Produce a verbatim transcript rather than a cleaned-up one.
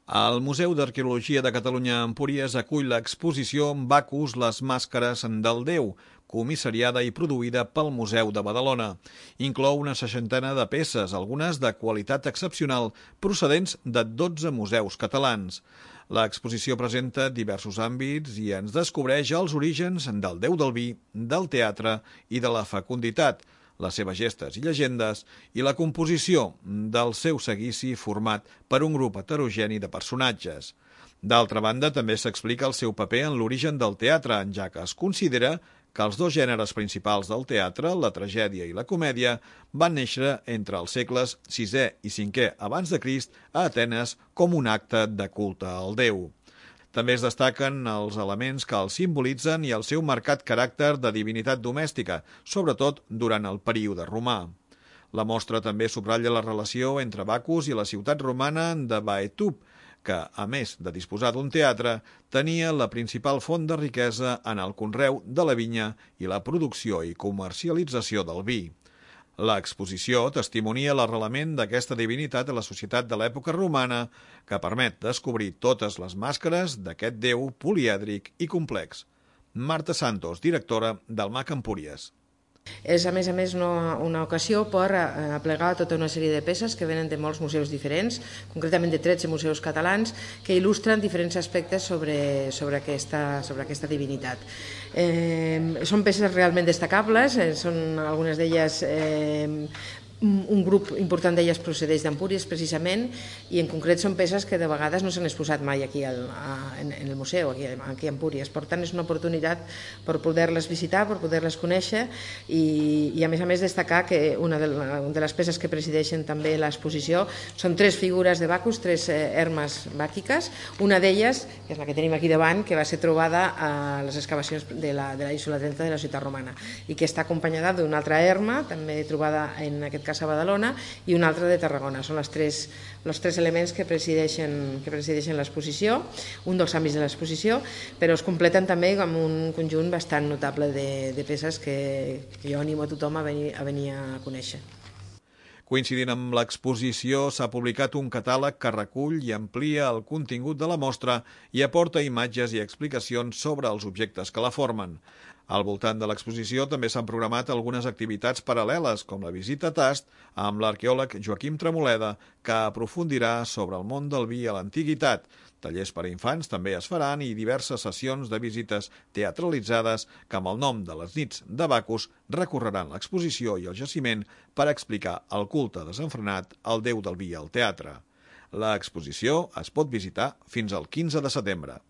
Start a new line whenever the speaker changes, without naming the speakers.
El Museu d'Arqueologia de Catalunya a Empúries acull l'exposició Bacus, les màscares del Déu, comissariada i produïda pel Museu de Badalona. Inclou una seixantena de peces, algunes de qualitat excepcional, procedents de dotze museus catalans. L'exposició presenta diversos àmbits i ens descobreix els orígens del Déu del vi, del teatre i de la fecunditat, les seves gestes i llegendes i la composició del seu seguici format per un grup heterogeni de personatges. D'altra banda, també s'explica el seu paper en l'origen del teatre, ja que es considera que els dos gèneres principals del teatre, la tragèdia i la comèdia, van néixer entre els segles sisè i cinquè abans de Crist a Atenes com un acte de culte al déu. També es destaquen els elements que els simbolitzen i el seu marcat caràcter de divinitat domèstica, sobretot durant el període romà. La mostra també subratlla la relació entre Bacus i la ciutat romana de Baetub, que, a més de disposar d'un teatre, tenia la principal font de riquesa en el conreu de la vinya i la producció i comercialització del vi. L'exposició testimonia l'arrelament d'aquesta divinitat a la societat de l'època romana, que permet descobrir totes les màscares d'aquest déu polièdric i complex. Marta Santos, directora del M A C Empúries.
És, a més a més, una, una ocasió per aplegar tota una sèrie de peces que venen de molts museus diferents, concretament de tretze museus catalans, que il·lustren diferents aspectes sobre, sobre, aquesta, sobre aquesta divinitat. Eh, són peces realment destacables, eh, són algunes d'elles... Eh, un grup important d'elles procedeix d'Empúries, precisament, i en concret són peces que de vegades no s'han exposat mai aquí al, a, en, en el museu, aquí, aquí a Empúries. Per tant, és una oportunitat per poder-les visitar, per poder-les conèixer i, i a més a més destacar que una de, de les peces que presideixen també l'exposició són tres figures de Bacus, tres eh, hermes bàquiques. Una d'elles, que és la que tenim aquí davant, que va ser trobada a les excavacions de la, de la Isola trenta de la ciutat romana i que està acompanyada d'una altra herma, també trobada en aquest cas a Badalona, i una altra de Tarragona. Són les tres, els tres elements que presideixen, que presideixen l'exposició, un dels àmbits de l'exposició, però es completen també amb un conjunt bastant notable de, de peces que, que jo animo a tothom a venir a, venir a conèixer.
Coincidint amb l'exposició, s'ha publicat un catàleg que recull i amplia el contingut de la mostra i aporta imatges i explicacions sobre els objectes que la formen. Al voltant de l'exposició també s'han programat algunes activitats paral·leles, com la visita a tast amb l'arqueòleg Joaquim Tremoleda, que aprofundirà sobre el món del vi a l'antiguitat. Tallers per a infants també es faran i diverses sessions de visites teatralitzades que amb el nom de les nits de Bacus recorreran l'exposició i el jaciment per explicar el culte desenfrenat al déu del vi al teatre. L'exposició es pot visitar fins al quinze de setembre.